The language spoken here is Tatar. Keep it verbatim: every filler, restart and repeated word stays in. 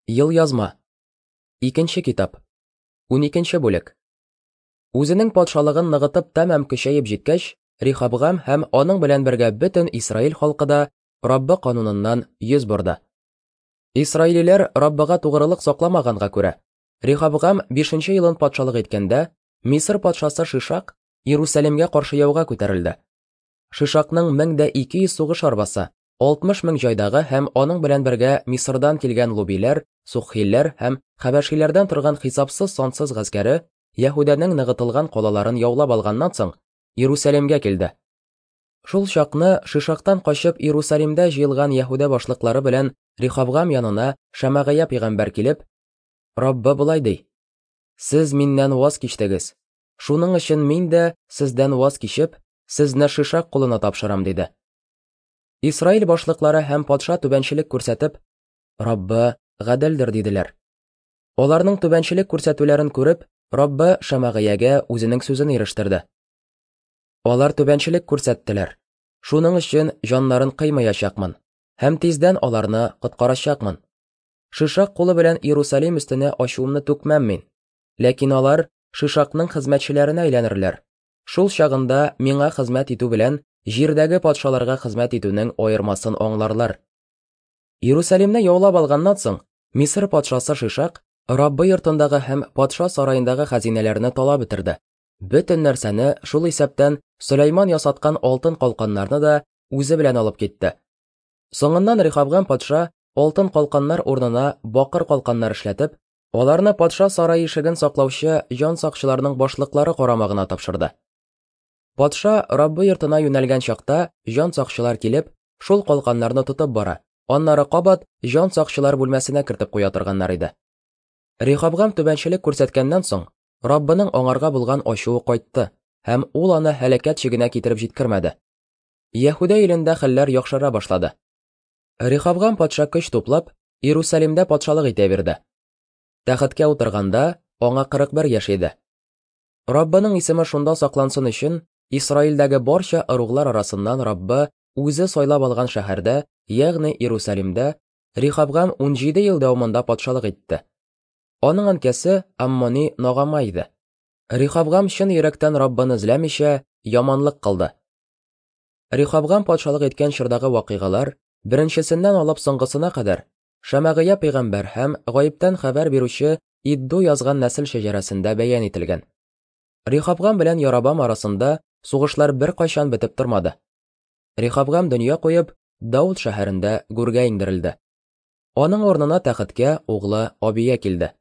Елъязма. Икенче китап. Уникенче бүлек. Үзенең патшалыгын ныгытып тәмам көчәеп җиткәч, Рихабгам һәм аның белән бергә бөтен Исраил халкы да Раббы кануныннан йөз борды. Исраилиләр Раббыга тугрылык сакламаганга күрә, Рихабгам бишенче елын патшалык иткәндә, Мисыр патшасы Шишак Иерусалимгә каршы яуга күтәрелде. Шишакның мең дә ике йөз сугыш арбасы, алтмыш мең җайдагы һәм аның белән бергә Мисырдан килгән лубиләр, суххиләр һәм хәбәшиләрдән торган хисапсыз сансыз гаскәре Яһүдәнең ныгытылган калаларын яулап алганнан соң Иерусалимгә килде. Шул чакны Шишактан качып Иерусалимдә җыелган Яһүдә башлыклары белән Рихабгам янына Шәмәгыя пәйгамбәр килеп, Раббы болай ди: Сез миннән ваз кичтегез. Шуның өчен мин дә сездән ваз кичеп, сезне Шишак кулына тапшырам, диде. Исраил башлыклары һәм патша түбәнчелек күрсәтеп, Раббы гаделдер, диделәр. Аларның түбәнчелек күрсәтүләрен күреп, Раббы Шәмәгыягә үзенең сүзен ирештерде. Алар түбәнчелек күрсәттеләр. Шуның өчен җаннарын кыймаячакмын һәм тиздән аларны коткарачакмын. Шишак кулы белән Иерусалим өстенә ачуымны түкмәм мин. Ләкин алар Шишакның хезмәтчеләренә әйләнерләр. Шул чагында миңа хезмәт итү белән җирдәге патшаларга хезмәт итүнең аермасын аңларлар. Иерусалимне яулап алганнан соң, Мисыр патшасы Шишак Раббы йортындагы һәм патша сараендагы хәзинәләрне талап бетерде. Бөтен нәрсәне, шул исәптән Сөләйман ясаткан алтын калканнарны да үзе белән алып китте. Соңыннан Рихабгам патша алтын калканнар урынына бакыр калканнар эшләтеп, аларны патша сарае ишеген саклаучы җан сакчыларның башлыклары карамагына тапшырды. Патша Раббы йортына юнәлгән чакта җан сакчылар килеп, шул калканнарны тотып бара, аннары кабат җан сакчылар бүлмәсенә кертеп куя торганнар иде. Рихабгам түбәнчелек күрсәткәннән соң, Раббының аңарга булган ачуы кайтты һәм ул аны һәлакәт чигенә китереп җиткермәде. Яһүдә илендә хәлләр яхшыра башлады. Рихабгам патша көч туплап, Иерусалимдә патшалык итә бирде. Тәхеткә утырганда аңа кырык бер яшь иде. Раббының исеме шунда саклансын өчен, Исраилдәге барча ыруглар арасыннан Раббы үзе сайлап алган шәһәрдә, ягъни Иерусалимдә, Рихабгам унҗиде ел дәвамында патшалык итте. Аның әнкәсе Аммони Нагама иде. Рихабгам чын йөрәктән Раббыны эзләмичә яманлык кылды. Рихабгам патшалык иткән чордагы вакыйгалар, беренчесеннән алып соңгысына кадәр, Шәмәгыя пәйгамбәр һәм гаиптән хәбәр бирүче Идду язган нәсел шәҗәрәсендә бәян ителгән. Рихабгам белән Ярабам арасында сугышлар беркайчан бетеп тормады. Рихабгам дөнья куеп, Дауд шәһәрендә гүргә иңдерелде. Аның урынына тәхеткә углы Абия килде.